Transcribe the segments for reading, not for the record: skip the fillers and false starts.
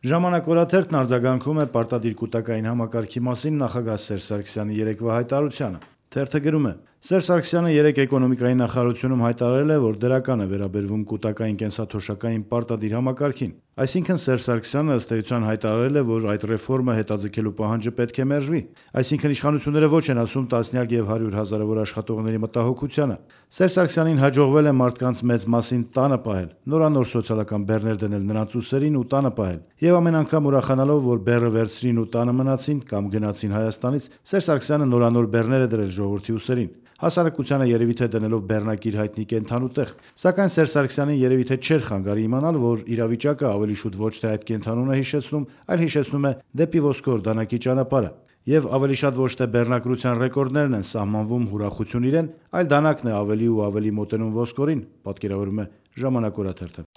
Ժամանակ օրաթերթն արձագանքում է պարտադիր կուտակային համակարգի մասին նախագահ Սերժ Սարգսյանի երեկվա հայտարարությանը։ Թերթը գրում է. Սերժ Սարգսյանը երեկ էկոնոմիկայի նախարարությունում հայտարարել է, որ դրական է վերաբերվում կուտակային կենսաթոշակային պարտադիր համակարգին։ Այսինքն Սերժ Սարգսյանը ըստ էության հայտարարել է, որ այդ ռեֆորմը հետաձգելու պահանջը պետք է մերժվի։ Այսինքն իշխանությունները ոչ են ասում տասնյակ եւ 100 հազարավոր աշխատողների մտահոգությանը։ Սերժ Սարգսյանին հաջողվել է մարդկանց մեծ մասին տանը պահել, նորանոր սոցիալական բեռներ դնել նրանց ուսերին ու տանը պահել։ Եվ ամեն անգամ ուրախանալով, որ բեռը վերցրին ու տանը մնացին կամ գնացին Հայաստանից, Սերժ Սարգսյանը նորանոր բեռներ է դրել ժողովրդի ուսերին։ Հասարակությանը երևի թե դնելով բեռնակիր հայտնի կենթանու տեղ։ Սակայն Սերժ Սարգսյանին երևի թե չէր խանգարի իմանալ, որ իրավիճակը ավելի շուտ ոչ թե այդ կենթանուն է հիշեցնում, այլ հիշեցնում է դեպի ոսկոր դանակի ճանապարհը։ Եվ ավելի շատ ոչ թե բեռնակրության ռեկորդներն են սահմանվում հուրախություն իրեն, այլ դանակն է ավելի ու ավելի մոտենում ոսկորին, պատկերավորում է Ժամանակ օրաթերթը։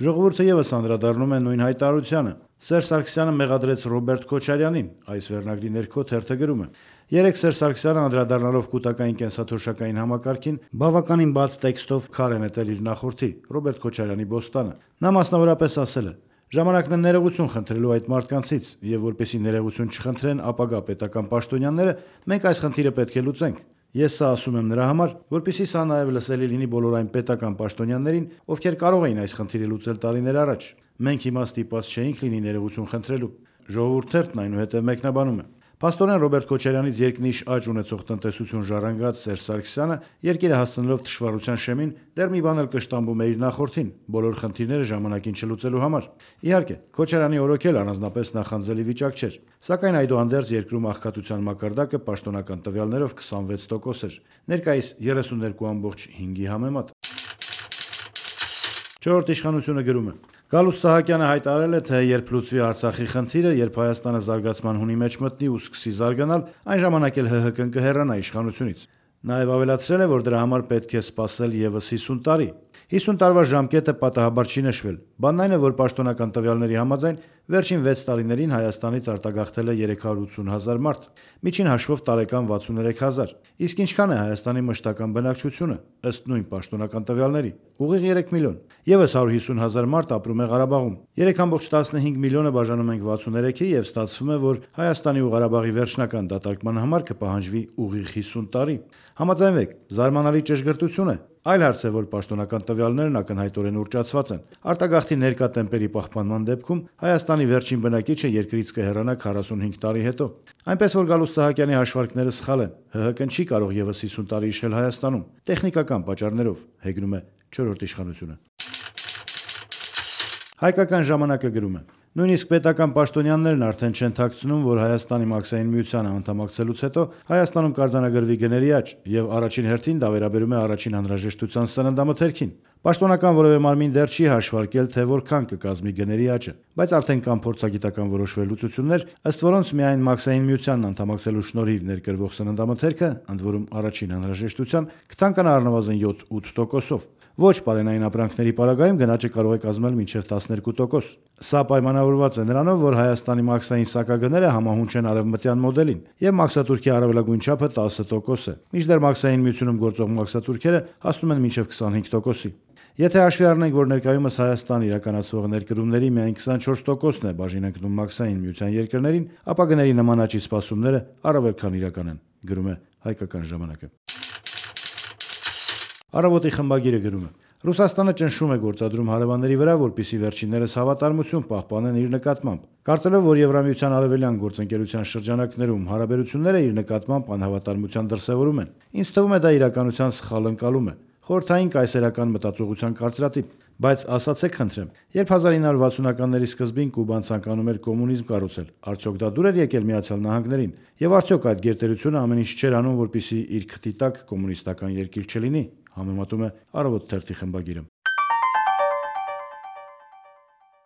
Ժողովուրդը եւս անդրադառնում է նույն հայտարարությանը։ Սերժ Սարգսյանը մեղադրեց Ռոբերտ Քոչարյանին, այս վերնագրի ներքո թերթը գրում է. Երեկ Սերժ Սարգսյանը անդրադառնալով կուտակային կենսաթոշակային համակարգին բավականին բաց տեքստով քար է նետել իր նախորդի Ռոբերտ Քոչարյանի բոստանը։ Նա մասնավորապես ասել է. «Ժամանակն է ներողություն խնդրելու այդ մարդկանցից, եւ որպեսզի ներողություն չխնդրեն ապագա պետական պաշտոնյաները, մենք այս խնդիրը պետք է լուծենք։ Ես սա ասում եմ նրա համար, որպեսզի սա նաև լսելի լինի բոլոր այն պետական պաշտոնյաներին, ովքեր կարող էին այս խնդիրը լուծել տարիներ առաջ։ Մենք հիմա ստիպված չէինք լինի ներողություն խնդրելու»։ Ժողովուրդ թերթն այնուհետև մեկնաբանում է. Փաստորեն Ռոբերտ Քոչարյանից երկնիշ աճ ունեցող տնտեսություն ժառանգած Սերժ Սարգսյանը երկիրը հասցնելով թշվառության շեմին դեռ մի բան էլ կշտամբում է իր նախորդին՝ բոլոր խնդիրները ժամանակին չլուծելու համար։ Իհարկե, Քոչարյանի օրոքել առանձնապես նախանձելի վիճակ չէր, սակայն այդուհանդերձ երկրում աղքատության մակարդակը պաշտոնական տվյալներով 26% էր, ներկայիս 32.5-ի համեմատ։ Չորրորդ իշխանությունը գրում է. Գալուստ Սահակյանը հայտարարել է, թե երբ լուծվի Արցախի խնդիրը, երբ Հայաստանը զարգացման հունի մեջ մտնի ու սկսի զարգանալ, այն ժամանակ էլ ՀՀԿ-ն կհեռանա իշխանությունից։ Նաև ավելացրել է, որ դրա համար պետք է սպասել ևս 50 տարի։ 50 տարվա ժամկետը պատահաբար չի նշվել։ Բանն այն է, որ պաշտոնական տվյալների համաձայն վերջին 6 տարիներին Հայաստանից արտագաղթել է 380,000 մարդ, միջին հաշվով տարեկան 63,000։ Իսկ ինչքան է Հայաստանի մշտական բնակչությունը, ըստ նույն պաշտոնական տվյալների։ Ուղիղ 3 միլիոն։ Եվս 150,000 մարդ ապրում է Ղարաբաղում։ 3.15 միլիոնը բաժանում ենք 63-ի եւ ստացվում է, որ Հայաստանի ու Ղարաբաղի վերջնական դատարկման համար կպահանջվի ուղիղ 50 տարի։ Համաձայնվեք, զարմանալի ճշգրտություն է։ Այլ հարց է, որ պաշտոնական տվյալներն ակնհայտորեն ուռճացված են։ Արտագաղթի ներկա տեմպերի պահպանման դեպքում Հայաստանի վերջին բնակիչը երկրից կհեռանա 45 տարի հետո։ Այնպես որ Գալուստ Սահակյանի հաշվարկները սխալ են։ ՀՀԿ-ն չի կարող եւս 50 տարի իշխել Հայաստանում, տեխնիկական պատճառներով, հեգնում է չորրորդ իշխանությունը։ Հայկական ժամանակը գրում է. Նույնիսկ պետական պաշտոնյաներն արդեն չեն թաքցնում, որ Հայաստանի մաքսային միությանը անդամակցելուց հետո Հայաստանում կարձանագրվի գների աճ, եւ առաջին հերթին դա վերաբերում է առաջին անհրաժեշտության սննդամթերքին։ Պաշտոնական որևէ մարմին դեռ չի հաշվարկել, թե որքան կկազմի գների աճը, բայց արդեն կան փորձագիտական որոշ վերլուծություններ, ըստ որոնց միայն մաքսային միությանն անդամակցելու շնորհիվ ներկրվող սննդամթերքը, ընդ որում առաջին անհրաժեշտության, կթանկանա առնվազն 7-8%-ով։ Ոչ պարենային ապրանքների պարագայում գնաճը կարող է կազմել մինչև 12%։ Սա պայմանավորված է նրանով, որ Հայաստանի մաքսային սակագները համահունչ են արևմտյան մոդելին, եւ մաքսատուրքի առավելագույն չափը 10% է, մինչդեռ մաքսային միությունում գործող մաքսատուրքերը հասնում են մինչև 25%-ի։ Եթե հաշվի առնենք, որ ներկայումս Հայաստան իրականացվող ներկրումների միայն 24%-ն է բաժին ընկնում մաքսային միության երկրներին, ապա գների նման աճի սպասումները առավել քան իրական են, գրում է Հայկական ժամանակը։ Առավոտի խմբագիրը գրում է. Ռուսաստանը ճնշում է գործադրում հարևանների վրա, որպեսզի վերջիններս հավատարմություն պահպանեն իր նկատմամբ։ Կարծելով, որ Եվրամիության արևելյան գործընկերության շրջանակներում հարաբերությունները իր նկատմամբ անհավատարմության դրսևորում են, ինձ թվում է դա իրականության սխալ ընկալում է, խորհրդային կայսերական մտածողության կարծրատիպ։ Բայց ասացեք խնդրեմ, երբ 1960-ականների սկզբին Կուբան ցանկանում էր կոմունիզմ կառուցել, արդյոք դա դուր էր եկել Միացյալ Նահանգներին, եւ արդյոք այդ գերտերությունը ամեն ինչ չէր անում, որպեսզի իր քթի տակ կոմունիստական երկիր չլինի, համեմատում է Առավոտ թերթի խմբագիրը։